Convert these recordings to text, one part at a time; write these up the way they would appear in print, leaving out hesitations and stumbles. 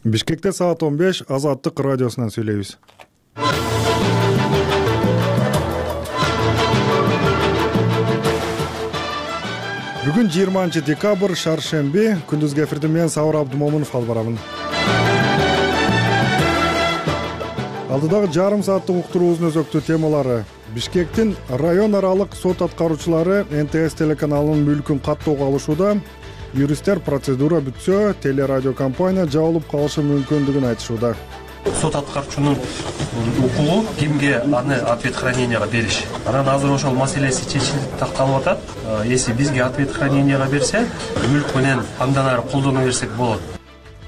Бишкекте саат 15 Азаттык радиосунан сүйлөйбүз. Бүгүн 20 декабрь шаршемби, күндүзгү эфирде мен Сабыр Абдумомунов алып барамын. Алдыдагы жарым сааттык уктуруубуздун өзөктүү темалары: Бишкектин район аралык сот аткаруучулары НТС телеканалынын мүлкүн каттоого алышууда, юристтер процедура бүтсө, телерадиокомпания жабылып калышы мүмкүндүгүн айтышууда. Сот аткаруучунун укугу кимге аны ответ храненияга бериш. Анан азыр ошол маселеси чечилип такталып атат. Если бизге ответ храненияга берсе, мүлк менен андан ары колдоно берсек болот.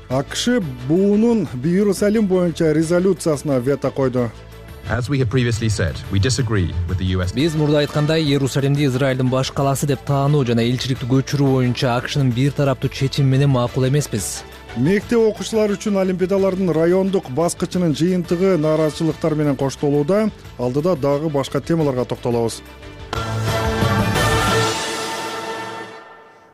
АКШ буунун Иерусалим боюнча резолюциясына вето койду. As we have previously said, we disagree with the US. Биз мурда айткандай, Иерусалимди Израилдин баш калаасы деп таануу жана элчиликти көчүрүү боюнча АКШнын бир тараптуу чечими менен макул эмеспиз. Мектеп окуучулары үчүн олимпиадалардын райондук баскычынын жыйынтыгы нааразычылыктар менен коштолууда. Алдыда дагы башка темаларга токтолобуз.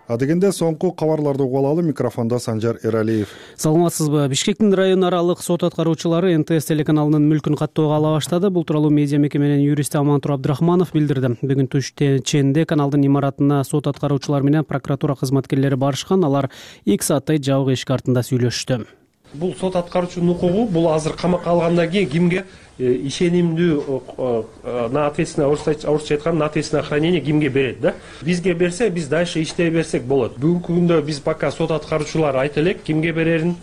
Адегенде соңку кабарларды угуп алалы. Микрофондо Санжар Эралиев. Саламатсызбы? Бишкектин район аралык сот аткаруучулары НТС телеканалынын мүлкүн каттоого ала баштады. Бул тууралуу медиа мекеменин юристи Амантур Абдрахманов билдирди. Бүгүн түш ченде каналдын имаратына сот аткаруучулар менен прокуратура кызматкерлери барышкан. Алар 2 сааттай жабык эшик артында сүйлөшүштү. Бул сот аткаруучунун укугу, бул азыр камакка алгандан кийин кимге ишенимдүү на ответственное, орусча айтканда на ответственное хранение кимге берет да? Бизге берсе, биз дальше иштей берсек болот. Бүгүнкү күндө биз пока сот аткаруучулар айта элек кимге берерин.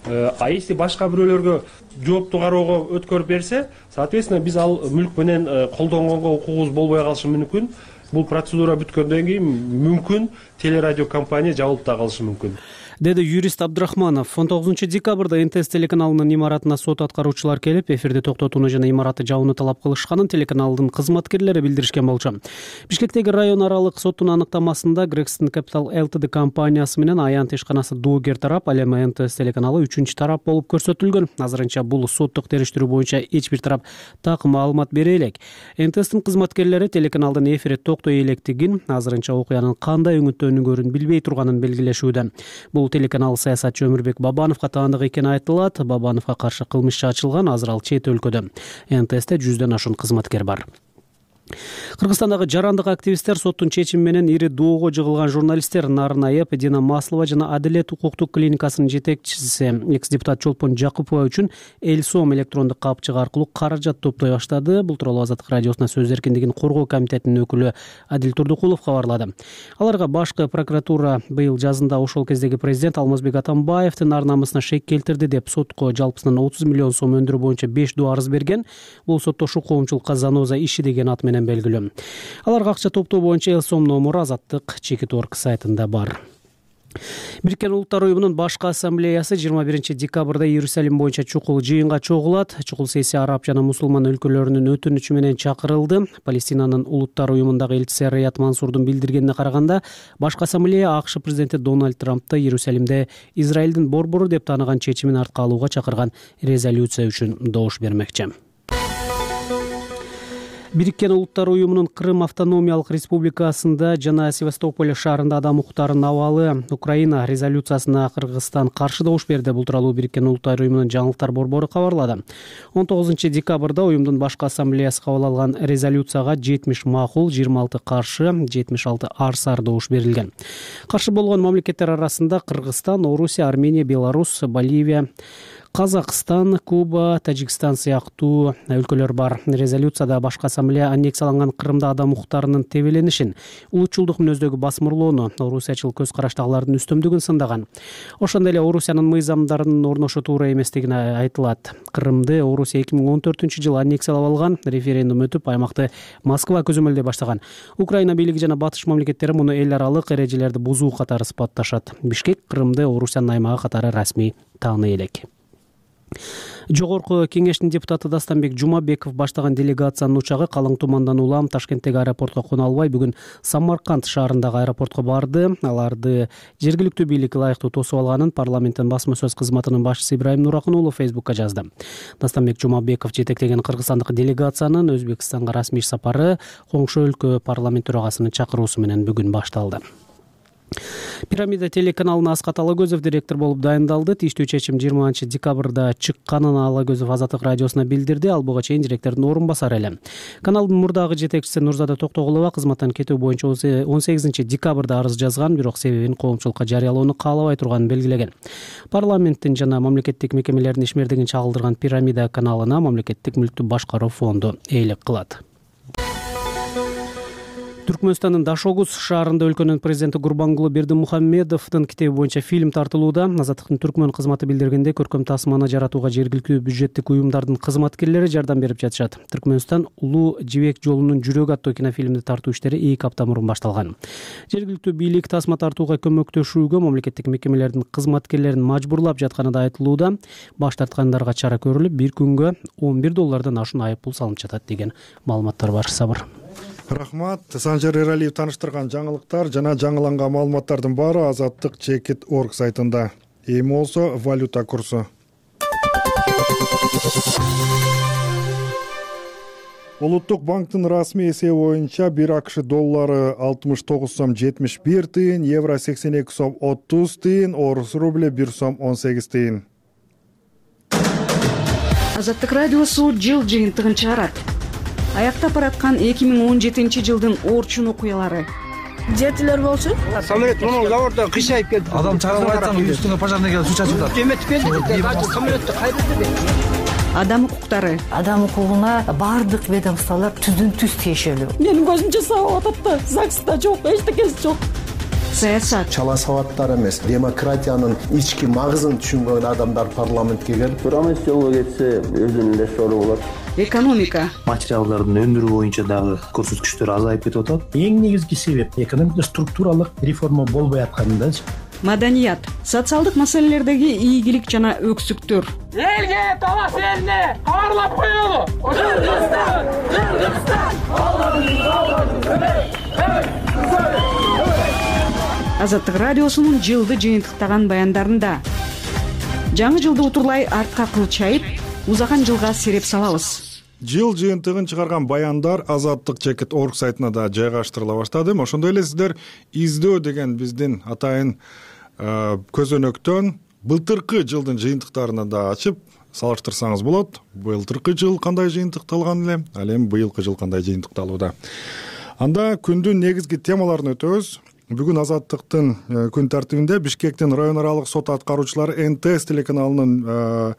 А если башка бирөөлөргө жоопту кароого өткөрүп берсе, соответственно биз ал мүлк менен колдонгонго укугубуз болбой калышы мүмкүн. Бул процедура бүткөндөн кийин мүмкүн телерадиокомпания жабылып да калышы мүмкүн, деди юрист Абдрахманов. 19 декабрда НТС телеканалынын имаратына сот аткаруучулар келип, эфирди токтотууну жана имаратты жабууну талап кылышканын телеканалдын кызматкерлери билдиришкен болчу. Бишкектеги район аралык соттун аныктамасында Грексton Capital Ltd компаниясы менен аянт ишканасы доогер тарап, ал эми НТС телеканалы 3-чү тарап болуп көрсөтүлгөн. Азырынча бул соттук териштирүү боюнча эч бир тарап так маалымат бере элек. НТСтин кызматкерлери телеканалдын эфири токтой электигин, азырынча окуянын кандай өңүттөнүngөрүн билбей турганын белгилешүүдө. Бул телеканал саясатчы Өмүрбек Бабановго таандык экени айтылат. Бабановго каршы кылмыш иши ачылган, азыр ал чет өлкөдө. НТСте 100дөн ашуун кызматкер бар. Кыргызстандагы жарандык активисттер соттун чечими менен ири доого жыгылган журналисттер Нарын Айып, Дина Маслова жана Адилет укуктук клиникасынын жетекчиси экс-депутат Чолпон Жакупова үчүн Элсом электрондук капчыгы аркылуу каражат топтой баштады. Бул тууралуу Азаттык радиосуна сөз эркиндигин коргоо комитетинин өкүлү Адил Турдукулов кабарлады. Аларга башкы прокуратура быйыл жазында ошол кездеги президент Алмазбек Атамбаевдин ар намысына шек келтирди деп сотко жалпысынан 30 миллион сом өндүрүү боюнча 5 доо арыз берген. Бул соттошуу коомчулукка заноза иши деген ат менен белгилүү. Аларга акча топтоо боюнча Элсом номуру Азаттык Чекит.орг сайтында бар. Бириккен Улуттар уюмунун башкы ассамблеясы 21 декабрда Иерусалим боюнча чукул жыйынга чогулат. Чукул сессия араб жана мусулман өлкөлөрүнүн өтүнүчү менен чакырылды. Палестинанын Улуттар уюмундагы элчиси Рият Мансурдун билдиргенине караганда, башкы ассамблея АКШ президенти Дональд Трампты Иерусалимде Израилдин борбору деп тааныган чечимин артка алууга чакырган резолюция үчүн добуш бермекчи. Бириккен Улуттар уюмунун Крым автономиялык республикасында жана Севастополь шаарында адам укуктарын абалы Украина резолюциясына Кыргызстан каршы добуш берди. Бул тууралуу Бириккен Улуттар уюмунун жаңылыктар борбору кабарлады. 19 декабрда уюмдун башкы ассамблеясы кабыл алган резолюцияга 70 макул, 26 каршы, 76 арсар добуш берилген. Каршы болгон мамлекеттер арасында Кыргызстан, Орусия, Армения, Беларусь, Боливия, Казакстан, Куба, Тажикстан сыяктуу өлкөлөр бар. Резолюцияда башкы ассамблея аннексияланган Крымда адам укуктарынын тебеленишин, улутчулдук мүнөздөгү басмырлоону, орусиячыл көз караштагылардын үстөмдүгүн сындаган. Ошондой эле Орусиянын мыйзамдарынын орношу туура эместигин айтылат. Крымды Орусия 2014-жылы аннексиялап алган, референдум өтүп, аймакты Москва көзөмөлдөй баштаган. Украина бийлиги жана батыш мамлекеттери муну эл аралык эрежелерди бузуу катары сыпатташат. Бишкек Крымды Орусиянын аймагы катары расмий тааный элек. Жогорку кеңештин депутаты Дастанбек Жумабеков баштаган делегациянын учагы калың тумандан улам Ташкенттеги аэропортко кона албай бүгүн Самарканд шаарындагы аэропортко барды. Аларды жергиликтүү бийлик ылайыктуу тосуп алганын парламенттин басма сөз кызматынын башчысы Ибраим Нуракын уулу Фейсбукка жазды. Дастанбек Жумабеков жетектеген кыргызстандык делегациянын Өзбекстанга расмий сапары коңшу өлкө парламент төрагасынын чакыруусу менен бүгүн башталды. Пирамида телеканалына Аскат Алагөзов директор болуп дайындалды. Тийиштүү чечим 20 декабрда чыкканын Алагөзов Азаттык радиосуна билдирди. Ал буга чейин директордун орун басары эле. Каналдын мурдагы жетекчиси Нурзада Токтогулова кызматтан кетүү боюнча 18 декабрда арыз жазган, бирок себебин коомчулукка жарыялоону каалабай турганын белгилеген. Парламенттин жана мамлекеттик мекемелердин ишмердигин чагылдырган Пирамида каналына Мамлекеттик мүлктү башкаруу фонду ээлик кылат. Түркмөнстандын Дашогуз шаарында өлкөнүн президенти Гурбангулы Бердимухамедовдун китеби боюнча фильм тартылууда. Азаттыктын түркмөн кызматы билдиргенде, көркөм тасманы жаратууга жергиликтүү бюджеттик уюмдардын кызматкерлери жардам берип жатышат. Түркмөнстан Улуу Жибек жолунун жүрөгү аттуу кинофильмди тартуу иштери 2 апта мурун башталган. Жергиликтүү бийлик тасма тартууга көмөктөшүүгө мамлекеттик мекемелердин кызматкерлерин мажбурлап жатканы да айтылууда. Баш тарткандарга чара көрүлүп, бир күнгө $11 ашуун айып пул салынып жатат деген маалыматтар бар. Сабыр. Рахмат. Санжар Эралиев таныштырган жаңылыктар жана жаңыланган маалыматтардын баары Азаттык Чекит.org сайтында. Эми болсо валюта курсу. Улуттук банктын расмий эсеби боюнча 1 АКШ доллары 69 сом 71 тыйын, евро 82 сом 30 тыйын, орус рубль 1 сом 18 тыйын. Азаттык радиосу жыл жыйынтыгын чыгарат. Аяктап бараткан 2017 жылдын орчун окуялары. Жетилер болсун. Самолет мына заводдо кыйшайып келди. Адам чыгарып айтсаң, үстүңө пожарный келип суу чачып атат. Эметип келди. Самолетту кайдырды. Адам укуктары. Адам укугуна бардык ведомстволор түздөн-түз тиешелүү. Менин көзүмчө сабап атат да, ЗАГСта жок, эчтекеси жок. Саясат. Чала сабаттар эмес, демократиянын ички магызын түшүнгөн адамдар парламентке келип, Турамес жолго кетсе өзүнүн эле сору болот. Экономика. Материалдардын өндүрүү боюнча дагы көрсөткүчтөр азайып кетип атат. Эң негизги себеп экономика структуралык реформа болбой атканындачы. Маданият. Социалдык маселелердеги ийгилик жана өксүктөр. Элге талас элине кабарлап коелу. Азаттык радиосунун жылды жыйынтыктаган баяндарында жаңы жылды утурлай артка кылчайып, узаган жылга сереп салабыз. Жыл жыйынтыгын чыгарган баяндар Азаттык Чекит.org сайтына да жайгаштырыла баштады. Ошондой эле сиздер издөө деген биздин атайын көзөнөктөн былтыркы жылдын жыйынтыктарына да ачып салыштырсаңыз болот. Былтыркы жыл кандай жыйынтыкталган эле, ал эми быйылкы жыл кандай жыйынтыкталууда. Анда күндүн негизги темаларын өтөбүз. Бүгүн Азаттыктын күн тартибинде Бишкектин район аралык сот аткаруучулары НТС телеканалынын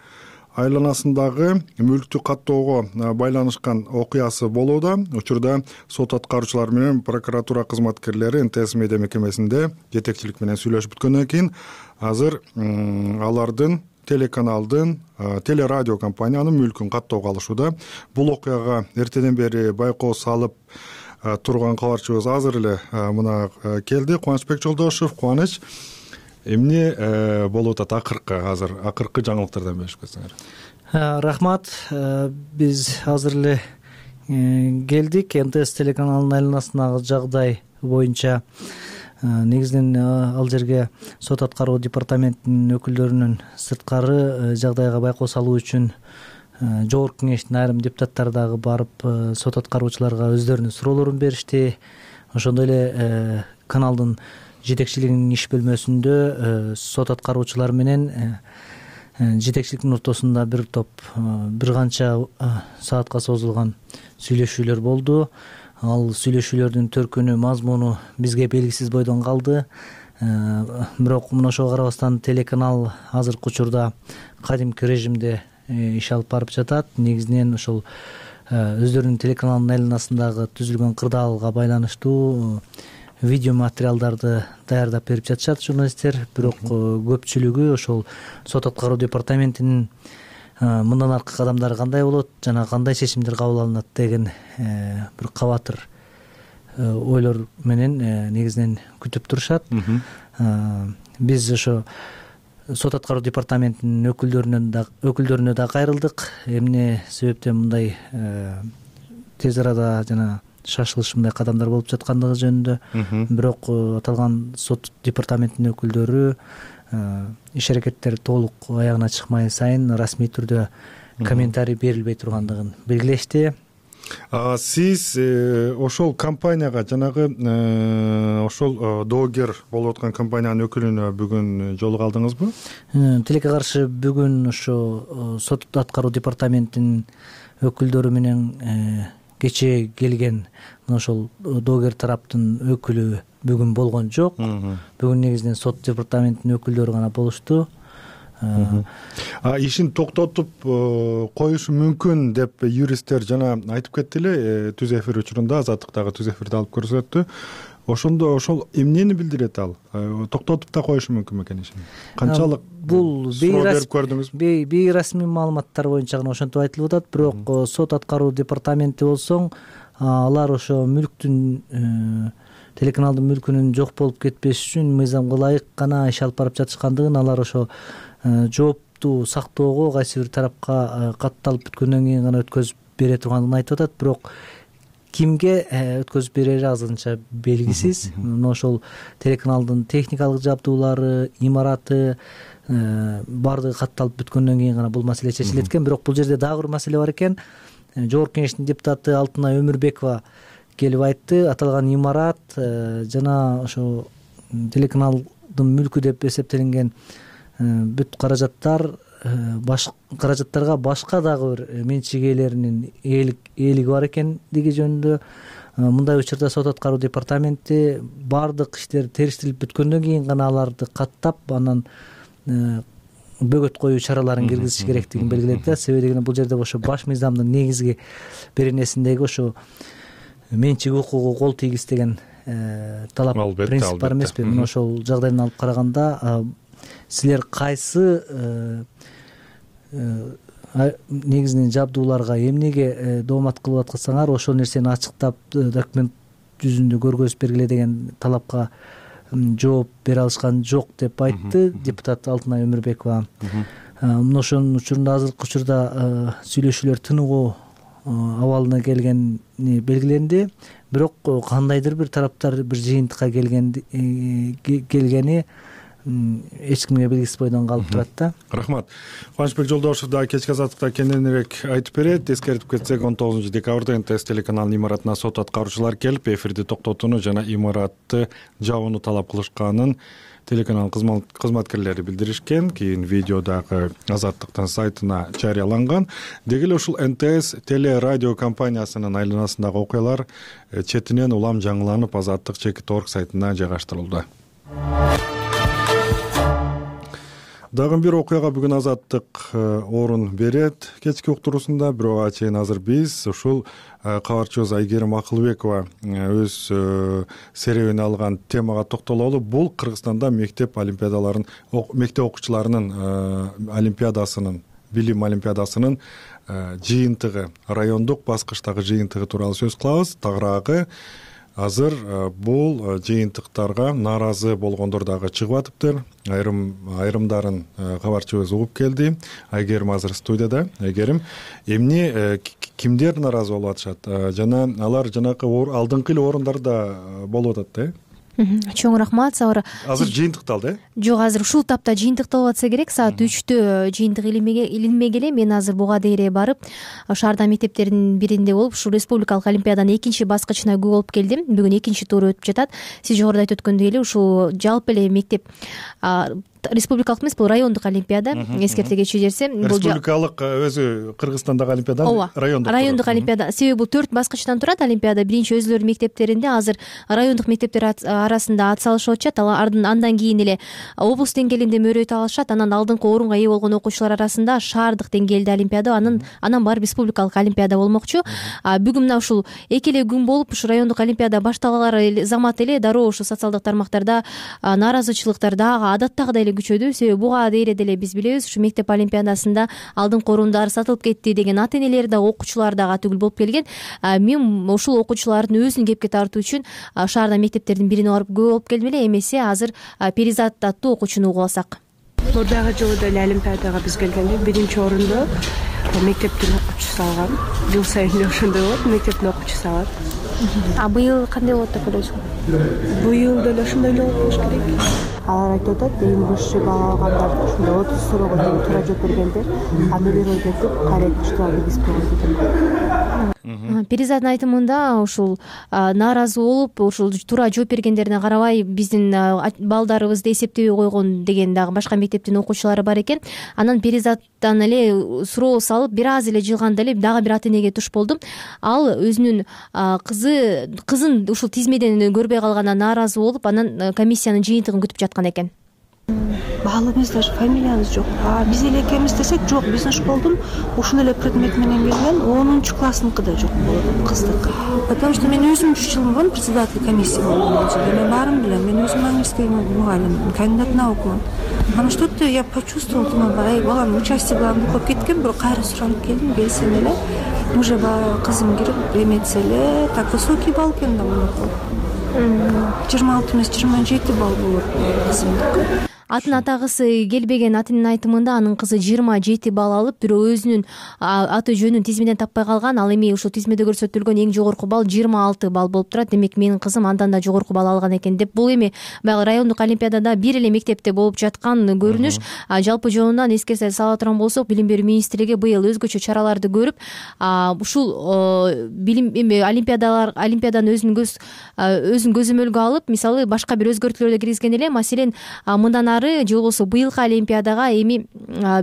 айланасындагы мүлктү каттоого байланышкан окуясы болууда. Учурда сот аткаруучулары менен прокуратура кызматкерлери НТС медиа мекемесинде жетекчилик менен сүйлөшүп бүткөндөн кийин азыр алардын телеканалдын телерадио компаниянын мүлкүн каттоого алышууда. Бул окуяга эртеден бери байкоо салып турган кабарчыбыз азыр эле мына келди. Кубанычбек Жолдошев. Кубаныч, эмне болуп атат акыркы жаңылыктардан бөлүшүп кетсеңер. Рахмат. Биз азыр эле келдик. НТС телеканалынын айланасындагы жагдай боюнча негизинен ал жерге сот аткаруу департаментинин өкүлдөрүнүн сырткары жагдайга байкоо салуу үчүн жогорку кеңештин айрым депутаттары дагы барып сот аткаруучуларга өздөрүнүн суроолорун беришти. Ошондой эле каналдын жетекчилигинин иш бөлмөсүндө сот аткаруучулар менен жетекчиликтин ортосунда бир канча саатка созулган сүйлөшүүлөр болду. Ал сүйлөшүүлөрдүн төркүнү, мазмуну бизге белгисиз бойдон калды. Бирок мына ошого карабастан телеканал азыркы учурда кадимки режимде иш алып барып жатат. Негизинен ошол өздөрүнүн телеканалынын айланасындагы түзүлгөн кырдаалга байланыштуу видео материалдарды даярдап берип жатышат журналисттер. Бирок көпчүлүгү ошол сот аткаруу департаментинин мындан аркы кадамдары кандай болот жана кандай чечимдер кабыл алынат деген бир кабатыр ойлор менен негизинен күтүп турушат. Биз ошо сот аткаруу департаментинин өкүлдөрүнө да кайрылдык. Эмне себептен мындай тез арада жана шашылыш мындай кадамдар болуп жаткандыгы жөнүндө. Бирок аталган сот департаментинин өкүлдөрү иш аракеттер толук аягына чыкмай сайын расмий түрдө комментарий берилбей тургандыгын белгилешти. Сиз ошол компанияга жанагы ошол доогер болуп аткан компаниянын өкүлүнө бүгүн жолуга алдыңызбы? Тилекке каршы бүгүн ошо сот аткаруу департаментинин өкүлдөрү менен кечээ келген ошол доогер тараптын өкүлү бүгүн болгон жок. Бүгүн негизинен сот департаментинин өкүлдөрү гана болушту. Ишин токтотуп коюшу мүмкүн деп юристтер жана айтып кетти эле түз эфир учурунда, Азаттыктагы түз эфирде алып көрсөттү. Ошондо ошол эмнени билдирет ал? Токтотуп да коюшу мүмкүн бекен ишин? Канчалык бул берип көрдүңүзбү? Бейрасмий маалыматтар боюнча гана ошентип айтылып атат, бирок сот аткаруу департаменти болсоң, алар ошо мүлктүн телеканалдын мүлкүнүн жок болуп кетпеш үчүн мыйзамга ылайык гана иш алып барып жатышкандыгын, алар ошо жоопту сактоого кайсы бир тарапка катталып бүткөндөн кийин гана өткөзүп бере тургандыгын айтып атат. Бирок кимге өткөзүп берери азырынча белгисиз. Ошол телеканалдын техникалык жабдуулары, имараты баардыгы катталып бүткөндөн кийин гана бул маселе чечилет экен. Бирок бул жерде дагы бир маселе бар экен. Жогорку кеңештин депутаты Алтынай Өмүрбекова келип айтты, аталган имарат жана ошо телеканалдын мүлкү деп эсептелинген бүт каражаттарга башка дагы бир менчик ээлеринин ээлиги бар экендиги жөнүндө. Мындай учурда сот аткаруу департаменти баардык иштер териштирилип бүткөндөн кийин гана аларды каттап, анан бөгөт коюу чараларын киргизиш керектигин белгиледи да. Себеби дегенде бул жерде ошо баш мыйзамдын негизги беренесиндеги ошо менчик укугу кол тийгиз талап принцип бар эмеспи? Мына ошол жагдайдан алып караганда силер кайсы негизинен жабдууларга эмнеге доомат кылып аткансаңар, ошол нерсени ачыктап документ жүзүндө көргөзүп бергиле деген талапка жооп бере алышкан жок деп айтты депутат Алтынай Өмүрбекова. Мына ошонун учурунда азыркы учурда сүйлөшүүлөр тыныгуу абалына келгени белгиленди. Бирок кандайдыр бир тараптар бир жыйынтыкка келгени эч кимге белгисиз бойдон калып турат да. Рахмат. Кубанычбек Жолдошев да кечки азаттыкта кененирээк айтып берет. Эскертип кетсек, 19 декабрда НТС телеканалынын имаратына сот аткаруучулар келип, эфирди токтотууну жана имаратты жабууну талап кылышканын телеканал кызматкерлери билдиришкен. Кийин видео дагы Азаттыктын сайтына жарыяланган. Деги эле ушул НТС телерадио компаниясынын айланасындагы окуялар четинен улам жаңыланып, Азаттык.org сайтына жайгаштырылды. Дагы бир окуяга бүгүн Азаттык орун берет кечки уктуруусунда. Бирок чейин азыр биз ушул кабарчыбыз Айгерим Акылбекова өз серебине алган темага токтололу. Бул Кыргызстанда мектеп олимпиадаларын, мектеп окуучуларынын олимпиадасынын, билим олимпиадасынын жыйынтыгы, райондук баскычтагы жыйынтыгы тууралуу сөз кылабыз. Тагыраагы азыр бул жыйынтыктарга нааразы болгондор дагы чыгып атыптыр. Айрымдарын кабарчыбыз угуп келди. Айгерим азыр студияда. Айгерим, эмне кимдер нааразы болуп атышат? Жана алар жанакы алдыңкы эле орундарда болуп атат да? Чоң рахмат. Азыр жыйынтыкталды, э? Жок, азыр ушул таапта жыйынтыкталып атса керек. Саат 3-тө жыйынтык илинбек эле. Мен азыр буга дейре барып, шаарда мектептердин биринде болуп, ушул республикалык олимпиаданын экинчи баскычына күбө болуп келдим. Бүгүн экинчи туру өтүп жатат. Сиз жогоруда айтып өткөндөй эле ушул жалпы эле мектеп республикалык эмес, бул райондук олимпиада. Эскерте кетчү жерсе, бул республикалык өзү Кыргызстандагы олимпиада, райондук олимпиада. Себеби бул 4 баскычтан турат олимпиада. Биринчи өзүлөрүнүн мектептеринде, азыр райондук мектептер арасында ат салышып атышат. Андан кийин эле облус деңгээлинде мөрөйт алышат. Анан алдыңкы орунга ээ болгон окуучулар арасында шаардык деңгээлде олимпиада, анан барып республикалык олимпиада болмокчу. Бүгүн мына ушул эки эле күн болуп, ушу райондук олимпиада башталган замат эле дароо ушу социалдык тармактарда нааразычылыктар дагы адаттагыдай эле күчөдү. Себеби буга дейре деле биз билебиз, ушу мектеп олимпиадасында алдыңкы орундар сатылып кетти деген ата энелер да, окуучулар дагы түгүл болуп келген. Мен ушул окуучулардын өзүн кепке тартуу үчүн шаарда мектептердин бирине барып күбө болуп келдим эле. Эмесе азыр Перизат аттуу окуучуну угуп алсак. Мурдагы жолу деле олимпиадага биз келгенде биринчи орунду мектептин окуучусу алган. Жыл сайын эле ошондой болот, мектептин окуучусу алат. Быйыл кандай болот деп ойлойсуз? Быйыл деле ошондой эле болуш керек. Алар айтып атат, эң башчы бала алгандар ушундай 30 суроого туура жооп бергендер, а нөлөр кетип кайра экинчи турга киргизип койгон. перизаттын айтымында ушул нааразы болуп ушул туура жооп бергендерине карабай биздин балдарыбызды эсептебей койгон деген дагы башка мектептин окуучулары бар экен. Анан перизаттан эле суроо салып бир аз эле жылганда эле дагы бир ата энеге туш болдум. Ал өзүнүн кызын ушул тизмеден көрбөй калганына нааразы болуп, анан комиссиянын жыйынтыгын күтүп жаткан экен. Баалыбыз даже фамилиябыз жок. Биз эле экенбиз десек жок, биздин школдун ушул эле предмет менен келген 10 классныкы да жок болот, кыздыкы. Потому что мен өзүм 3 жыл мурун председатель комиссия болдум. Мен баарын билем. Мен өзүм английский мугалим, кандидат наук. Анан что-то я почувствовала, думаю, балам участие кылган болуп кеткен, бирок кайра суралып келдим, келсем эле уже кызым кирип эметсе эле так высокий балл экен да мунуку. 26 эмес 27 балл болот кызымдыкы. Атын атагысы келбеген атынын айтымында анын кызы 27 балл алып, бирок өзүнүн аты жөнүн тизмеден таппай калган. Ал эми ушул тизмеде көрсөтүлгөн эң жогорку балл 26 балл болуп турат. Демек менин кызым андан да жогорку балл алган экен деп. Бул эми баягы райондук олимпиадада бир эле мектепте болуп жаткан көрүнүш. Жалпы жонунан эскерте сала турган болсок, билим берүү министрлиги быйыл өзгөчө чараларды көрүп, ушул билим олимпиаданы өзүнүн көзөмөлгө алып, мисалы башка бир өзгөртүүлөрдү киргизген эле. Маселен, мындан же болбосо быйылкы олимпиадага эми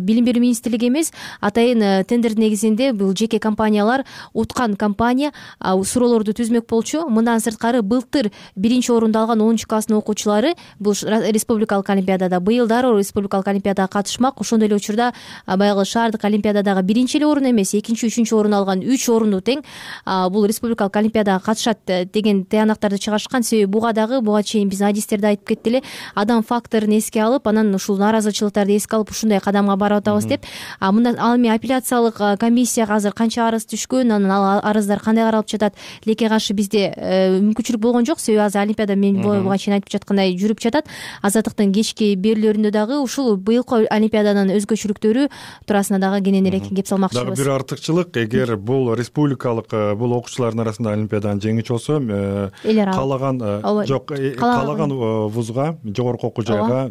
билим берүү министрлиги эмес, атайын тендер негизинде бул жеке компаниялар, уткан компания суроолорду түзмөк болчу. Мындан сырткары былтыр 1-орунду алган 10 класстын окуучулары бул республикалык олимпиадада, быйыл дароо республикалык олимпиадага катышмак. Ошондой эле учурда баягы шаардык олимпиададагы 1 эле орун эмес, 2-3 орун алган 3 орунду тең бул республикалык олимпиадага катышат деген тыянактарды чыгарышкан. Себеби буга чейин биздин адистерде айтып кетти эле, адам факторун эске алып, анан ушул нааразычылыктарды эске алып ушундай кадамга барып атабыз деп. Мында ал эми апелляциялык комиссияга азыр канча арыз түшкөн, анан ал арыздар кандай каралып жатат, тилекке каршы бизде мүмкүнчүлүк болгон жок. Себеби азыр олимпиада мен буга чейин айтып жаткандай жүрүп жатат. Азаттыктын кечки берүүлөрүндө дагы ушул быйылкы олимпиаданын өзгөчөлүктөрү туурасында дагы кененирээк кеп салмакчыбыз. Дагы бир артыкчылык, эгер бул республикалык бул окуучулардын арасында олимпиаданы жеңүүчү болсо, каалаган вузга, жогорку окуу жайга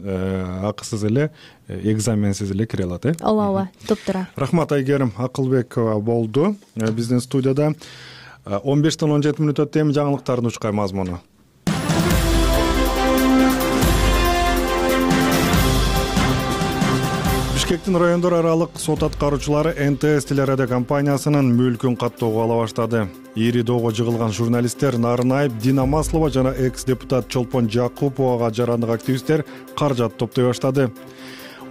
акысыз эле, экзаменсиз эле кире алат, ооба, топтура. Рахмат Айгерим Акылбекова болду биздин студияда. 15-тен 17 мүнөт өттү. Эми жаңылыктардын учкай мазмуну. Бишкектин райондор аралык сот аткаруучулары НТС телерадио компаниясынын мүлкүн каттоого ала баштады. Ири доого жыгылган журналисттер Нарынаев, Дина Маслова жана экс-депутат Чолпон Жакуповага жарандык активисттер каражат топтой баштады.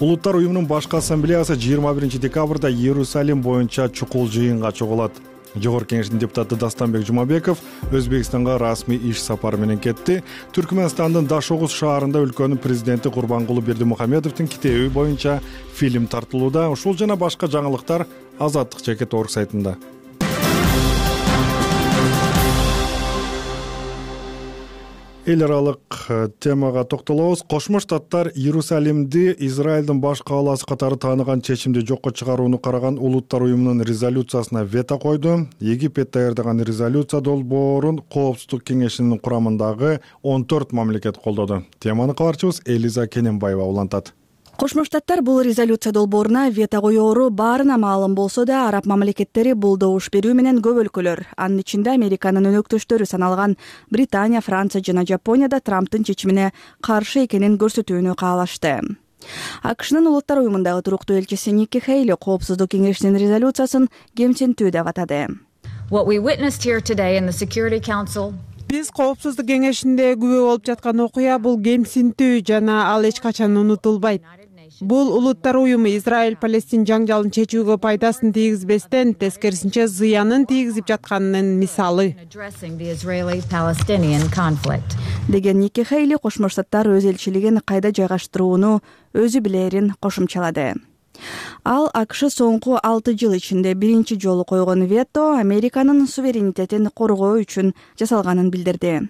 Улуттар уюмунун башкы ассамблеясы 21 декабрда Иерусалим боюнча чукул жыйынга чогулат. Жогорку кеңештин депутаты Дастанбек Жумабеков Өзбекстанга расмий иш сапары менен кетти. Түркмөнстандын Дашогуз шаарында өлкөнүн президенти Курбангулы Бердимухамедовдун китеби боюнча фильм тартылууда. Ушул жана башка жаңылыктар Азаттык Чекет орг сайтында. Эл аралык темага токтолобуз. Кошмо Штаттар Иерусалимди Израилдин баш кааласы катары тааныган чечимди жокко чыгарууну караган Улуттар уюмунун резолюциясына вето койду. Египет даярдаган резолюция долбоорун Коопсуздук кеңешинин курамындагы 14 мамлекет колдоду. Теманы кабарчыбыз Элиза Кененбаева улантат. Кошмо Штаттар бул резолюция долбооруна вето коёору баарына маалым болсо да, араб мамлекеттери бул добуш берүү менен көп өлкөлөр, анын ичинде Американын өнөктөштөрү саналган Британия, Франция жана Жапония да Трамптын чечимине каршы экенин көрсөтүүнү каалашты. АКШнын Улуттар уюмундагы туруктуу элчиси Никки Хейли Коопсуздук кеңешинин резолюциясын кемсинтүү деп атады. Биз Коопсуздук кеңешинде күбө болуп жаткан окуя бул кемсинтүү жана ал эч качан унутулбайт. Бул Улуттар уюму Израиль-Палестин жаңжалын чечүүгө пайдасын тийгизбестен, тескерисинче зыянын тийгизип жатканынын мисалы. Деген Никки Хейли Кошмо Штаттар өз элчилигин кайда жайгаштырууну өзү билерин кошумчалады. Ал АКШ соңку 6 жыл ичинде биринчи жолу койгон вето Американын суверенитетин коргоо үчүн жасалганын билдирди.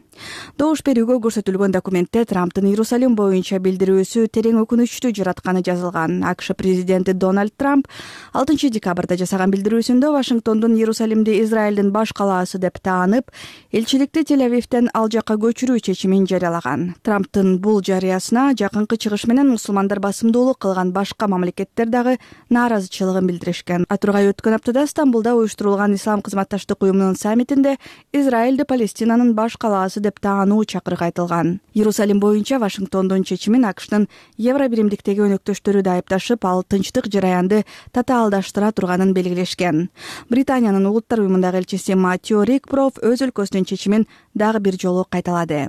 Добуш берүүгө көрсөтүлгөн документте Трамптын Иерусалим боюнча билдирүүсү терең өкүнүчтүү жаратканы жазылган. АКШ президенти Дональд Трамп 6 декабрда жасаган билдирүүсүндө Вашингтондун Иерусалимди Израилдин баш калаасы деп таанып, элчиликти Тель-Авивден ал жакка көчүрүү чечимин жарыялаган. Трамптын бул жарыясына жакынкы чыгыш менен мусулмандар басымдуулук кылган башка мамлекеттер дагы нааразычылыгын билдиришкен. Атургай өткөн аптада Стамбулда уюштурулган Ислам кызматташтык уюмунун саммитинде Израилди Палестинанын баш калаасы деп таануу чакырык айтылган. Иерусалим боюнча Вашингтондун чечимин АКШтын Евробиримдиктеги өнөктөштөрү да айыпташып, ал тынчтык жараянды татаалдаштыра турганын белгилешкен. Британиянын улуттар уюмундагы элчиси Маттио Рикпров өз өлкөсүнүн чечимин дагы бир жолу кайталады.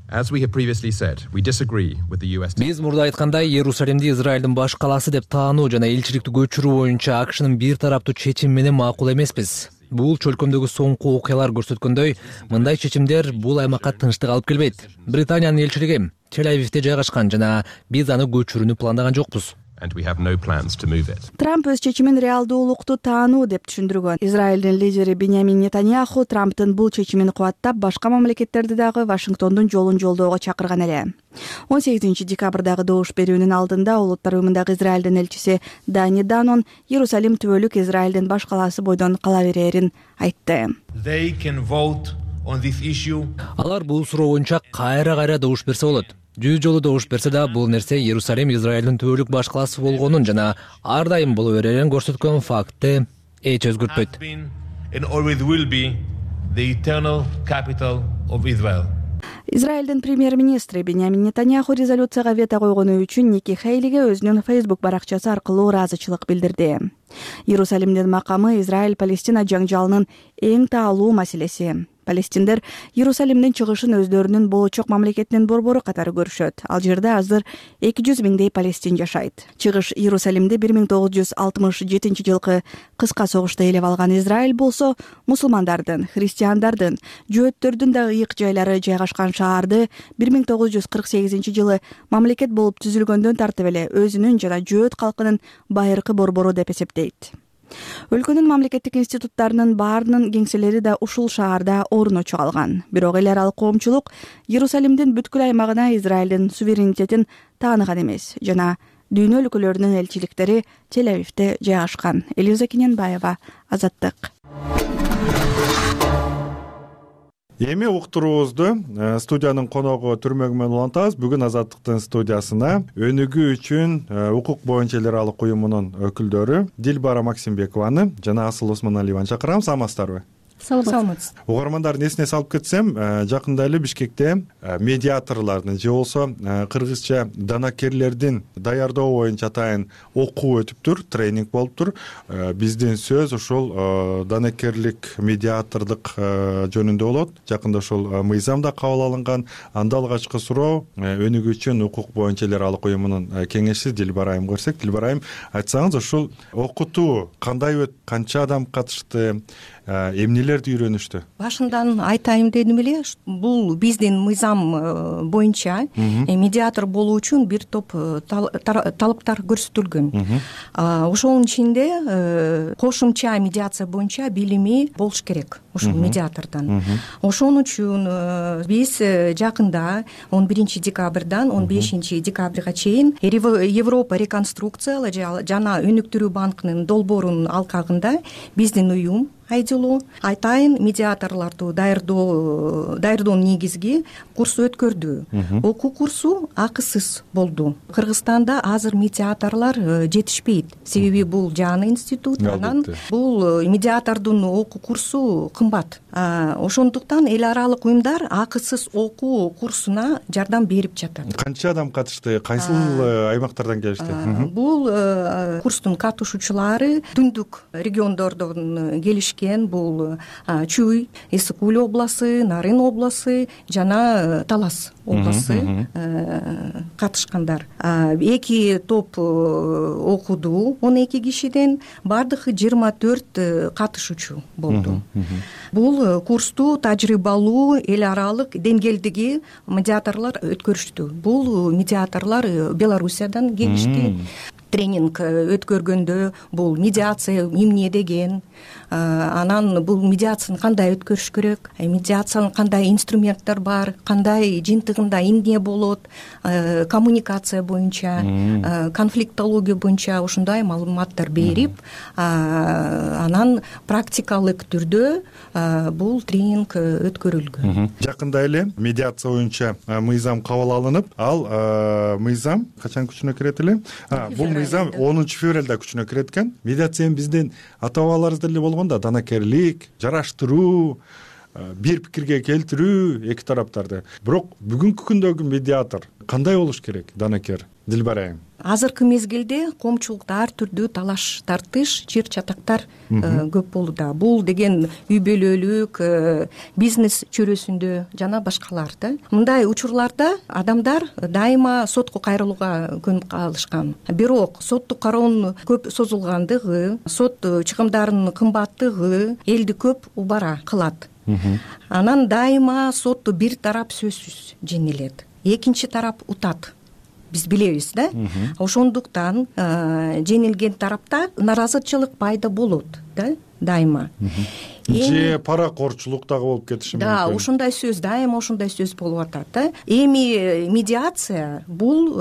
As we have previously said, we disagree with the US. Биз мурда айткандай, Иерусалимди Израилдин баш калаасы деп таануу жана элчиликти көчүрүү боюнча АКШнын бир тараптуу чечими менен макул эмеспиз. Бул чөлкөмдөгү соңку окуялар көрсөткөндөй, мындай чечимдер бул аймакка тынчтык алып келбейт. Британиянын элчилиги Тель-Авивде жайгашкан жана биз аны көчүрүүнү пландаган жокпуз. And we have no plans to move it. Трамп өз чечимин реалдуулукту таануу деп түшүндүргөн. Израилдин лидери Беньямин Нетаньяху Трамптын бул чечимин кубаттап, башка мамлекеттерди дагы Вашингтондун жолун жолдоого чакырган эле. 18 декабрдагы добуш берүүнүн алдында улуттар уюмундагы Израилдин элчиси Дани Данон Иерусалим түбөлүк Израилдин баш калаасы бойдон кала берерин айтты. Алар бул суроо боюнча кайра добуш берсе болот. 100 жолу добуш берсе да, бул нерсе Иерусалим Израилдин түбөлүк баш калаасы болгонун жана ар дайым боло берерин көрсөткөн фактты эч өзгөртпөйт. Израилдин премьер-министри Беньямин Нетаньяху резолюцияга вето койгону үчүн Ники Хейлиге өзүнүн Facebook баракчасы аркылуу ыраазычылык билдирди. Иерусалимдин макамы Израиль-Палестина жаңжалынын эң таалуу маселеси. Палестиндер Иерусалимдин чыгышын өздөрүнүн болочок мамлекетинин борбору катары көрүшөт. Ал жерде азыр 200 миңдей палестин жашайт. Чыгыш Иерусалимди 1967 жылкы кыска согушта ээлеп алган Израиль болсо, мусулмандардын, христиандардын, жөөттөрдүн да ыйык жайлары жайгашкан шаарды 1948 жылы мамлекет болуп түзүлгөндөн тартып эле өзүнүн жана жөөт калкынын байыркы борбору деп эсептейт. Өлкөнүн мамлекеттик институттарынын баарынын кеңселери да ушул шаарда орночо алган. Бирок эл аралык коомчулук Иерусалимдин бүткүл аймагына Израилдин суверенитетин тааныган эмес жана дүйнө өлкөлөрүнүн элчиликтери Тель-Авивде жайгашкан. Элиза Кененбаева, Азаттык. Эми уктуруубузду студиянын коногу Түрмөгү менен улантабыз. Бүгүн Азаттыктын студиясына өнүгүү үчүн укук боюнча эл аралык уюмунун өкүлдөрү Дилбара Максимбекованы жана Асыл Осмоналиеваны чакырам. Саламатсыздарбы? Саламатсыз. Угармандардын эсине салып кетсем, жакында эле Бишкекте медиаторлордун же болбосо кыргызча данакерлердин даярдоо боюнча атайын окуу өтүптүр, тренинг болуптур. Биздин сөз ушул данакерлик, медиатордук жөнүндө болот. Жакында ушул мыйзам да кабыл алынган. Анда алгачкы суроо өнүгүү үчүн укук боюнча эл аралык уюмунун кеңешчиси Дилбара айым көрсөк. Дилбара айым, айтсаңыз, ушул окутуу кандай өтүп, канча адам катышты, эмнелерди үйрөнүштү? Башындан айтайын дедим эле, бул биздин мыйзам боюнча медиатор болуу үчүн бир топ талаптар көрсөтүлгөн. Ошонун ичинде кошумча медиация боюнча билими болуш керек ушул медиатордон. Ошон үчүн биз жакында 11 декабрдан 15 декабрга чейин Европа реконструкциялоо жана өнүктүрүү банкынын долбоорунун алкагында биздин уюм айдылуу айтайын медиаторлорду даярдоонун негизги курсу өткөрдү. Окуу курсу акысыз болду. Кыргызстанда азыр медиаторлор жетишпейт. Себеби бул жаңы институт, анан бул медиатордун окуу курсу кымбат. Ошондуктан эл аралык уюмдар акысыз окуу курсуна жардам берип жатат. Канча адам катышты? Кайсыл аймактардан келишти? Бул курстун катышуучулары түндүк региондордон келишкен. Бул Чуй, Исыкуль обласы, Нарын обласы жана Талас обласы катышкандар. 2 топ окуду, 12 кишиден, бардыгы 24 катышуучу болду. Бул курсту тажрыйбалуу эл аралык деңгээлдеги медиаторлор өткөрүштү. Бул медиаторлор Белоруссиядан келишти. Тренинг өткөргөндө бул медиация эмне деген, анан бул медиацияны кандай өткөрүш керек, медиациянын кандай инструменттер бар, кандай жыйынтыгында эмне болот, коммуникация боюнча, конфликтология боюнча ушундай маалыматтар берип, анан практикалык түрдө бул тренинг өткөрүлгөн. Жакында эле медиация боюнча мыйзам кабыл алынып, ал мыйзам качан күчүнө кирет эле? Бул мыйзам 10 февралда күчүнө кирет экен. Медиация биздин ата бабаларыбызда эле болгон да, данакерлик, жараштыруу, бир пикирге келтирүү эки тараптарды. Бирок бүгүнкү күндөгү медиатор кандай болуш керек, данакер Дилбар айым? Азыркы мезгилде коомчулукта ар түрдүү талаш тартыш, чыр чатактар көп болууда. Бул деген үй бүлөлүк, бизнес чөйрөсүндө жана башкалар да. Мындай учурларда адамдар дайыма сотко кайрылууга көнүп калышкан. Бирок соттук кароонун көп созулгандыгы, сот чыгымдарынын кымбаттыгы элди көп убара кылат. Анан дайыма сотто бир тарап сөзсүз жеңилет, экинчи тарап утат. Биз билебиз да. Ошондуктан жеңилген тарапта наразычылык пайда болот да, дайыма. Же паракорчулук дагы болуп кетиши мүмкүн. Да, ошондой сөз, дайыма ошондой сөз болуп атат да. Эми медиация бул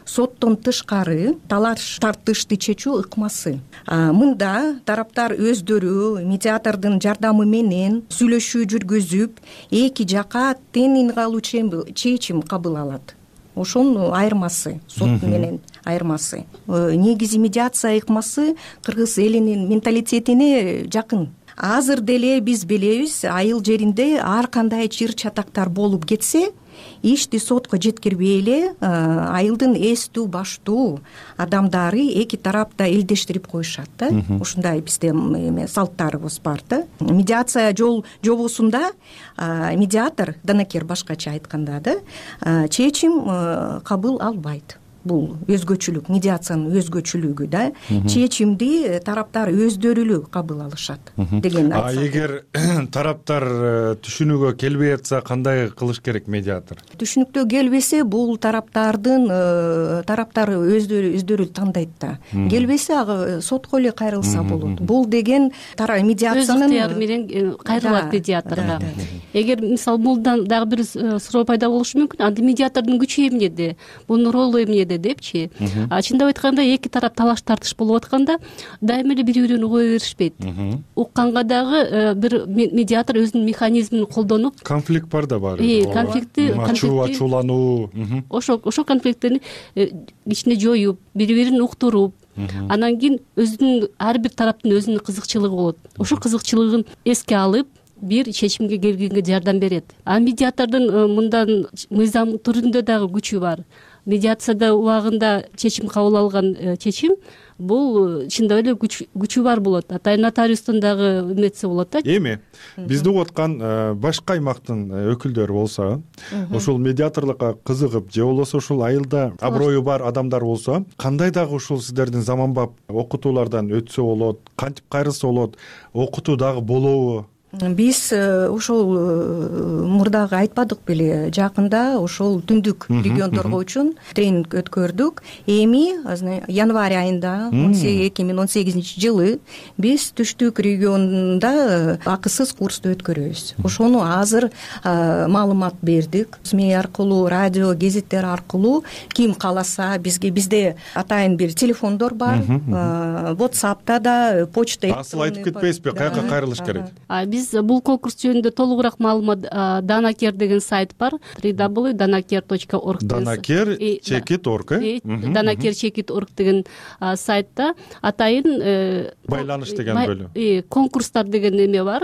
соттон тышкары талаш тартышты чечүү ыкмасы. Мында тараптар өздөрү медиатордун жардамы менен сүйлөшүү жүргүзүп, эки жака тең ыңгайлуу чечим кабыл алат. Ошонун айырмасы, сот менен айырмасы. Негизи медиация ыкмасы кыргыз элинин менталитетине жакын. Азыр деле биз билебиз, айыл жеринде ар кандай чыр чатактар болуп кетсе, ишти сотко жеткирбей эле айылдын эстүү баштуу адамдары эки тарапта элдештирип коюшат да. Ушундай бизде салттарыбыз бар да. Медиация жобосунда медиатор, данакер башкача айтканда да, чечим кабыл албайт. Бул өзгөчөлүк, медиациянын өзгөчөлүгү да. Чечимди тараптар өздөрү эле кабыл алышат деген айтсак. Эгер тараптар түшүнүүгө келбей атса, кандай кылыш керек медиатор? Түшүнүктө келбесе, бул тараптар өздөрү тандайт да. Келбесе ага сотко эле кайрылса болот. Бул деген медиациянын өз ыктыяры менен кайрылат медиаторго. Эгер мисалы мулдан дагы бир суроо пайда болушу мүмкүн, анда медиатордун күчү эмнеде, мунун ролу эмнеде депчи. Чындап айтканда эки тарап талаш тартыш болуп атканда дайыма эле бири-бирин кое беришпейт. Укканга дагы бир медиатор өзүнүн механизмин колдонуп, конфликт бар да бар. Ачуулануу. Ошо конфликттерди ичине жоюп, бири-бирин уктуруп, анан кийин өзүнүн ар бир тараптын өзүнүн кызыкчылыгы болот. Ошо кызыкчылыгын эске алып бир чечимге келгенге жардам берет. Медиатордун мындан мыйзам түрүндө дагы күчү бар. Медиацияда убагында чечим кабыл алган чечим бул чындап эле күчү бар болот. Атайын нотариустун дагы эметсе болот да. Эми бизди угуп аткан башка аймактын өкүлдөрү болсо, ушул медиаторлукка кызыгып же болбосо ушул айылда аброю бар адамдар болсо, кандай дагы ушул сиздердин заманбап окутуулардан өтсө болот, кантип кайрылса болот, окутуу дагы болобу? Биз ошол мурдагы айтпадык беле, жакында ошол түндүк региондорго үчүн тренинг өткөрдүк. Эми январь айында 2018-жылы биз түштүк регионунда акысыз курсту өткөрөбүз. Ошону азыр маалымат бердик. СМИ аркылуу, радио, гезиттер аркылуу ким кааласа бизде атайын бир телефондор бар. WhatsApp'та да, почта. Асыл айтып кетпейсизби, каяка кайрылыш керек? Биз бул конкурс жөнүндө толугураак маалымат Данакер деген сайт бар, www.danaker.org. Danaker.org деген сайтта атайын байланыш деген бөлүм. Конкурстар деген эме бар,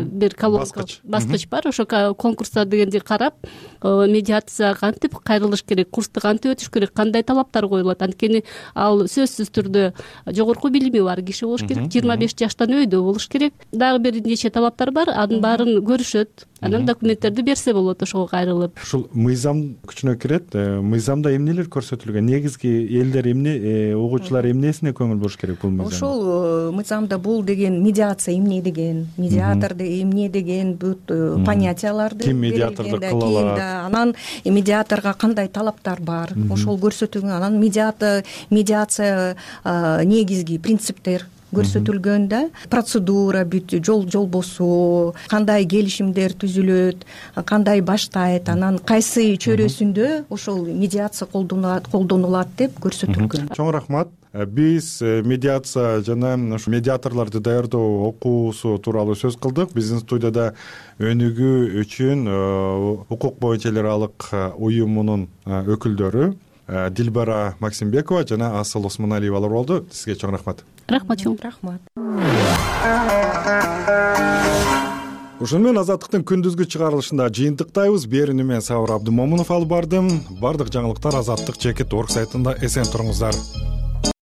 бир баскыч бар. Ошо конкурстар дегенди карап, медиация кантип кайрылыш керек, курсту кантип өтүш керек, кандай талаптар коюлат. Анткени ал сөзсүз түрдө жогорку билими бар киши болуш керек, 25 жаштан өйдө болуш керек. Дагы бир нече талаптар бар, анын баарын көрүшөт. Анан документтерди берсе болот ошого кайрылып. Ушул мыйзам күчүнө кирет. Мыйзамда эмнелер көрсөтүлгөн? Негизги элдер эмне, угуучулар эмнесине көңүл буруш керек бул мыйзамда? Ошол мыйзамда бул деген медиация эмне деген, медиаторду эмне деген бүт понятияларды ким медиаторду кыла алат, анан медиаторго кандай талаптар бар, ошол көрсөтүлгөн. Анан медиация негизги принциптер көрсөтүлгөн да, процедура бүт жол босуу, кандай келишимдер түзүлөт, кандай баштайт, анан кайсы чөйрөсүндө ошол медиация колдонулат деп көрсөтүлгөн. Чоң рахмат. Биз медиация жана медиаторлорду даярдоо окуусу тууралуу сөз кылдык. Биздин студияда өнүгүү үчүн укук боюнча эл аралык уюмунун өкүлдөрү Дилбара Максимбекова жана Асыл Осмоналиевалар болду. Сизге чоң рахмат. Рахмат чоң. Рахмат. Ушуну менен Азаттыктын күндүзгү чыгарылышында жыйынтыктайбыз. Берүүнү мен Сабыр Абдымомунов алып бардым. Бардык жаңылыктар Азаттык жеке орг сайтында эсен туруңуздар.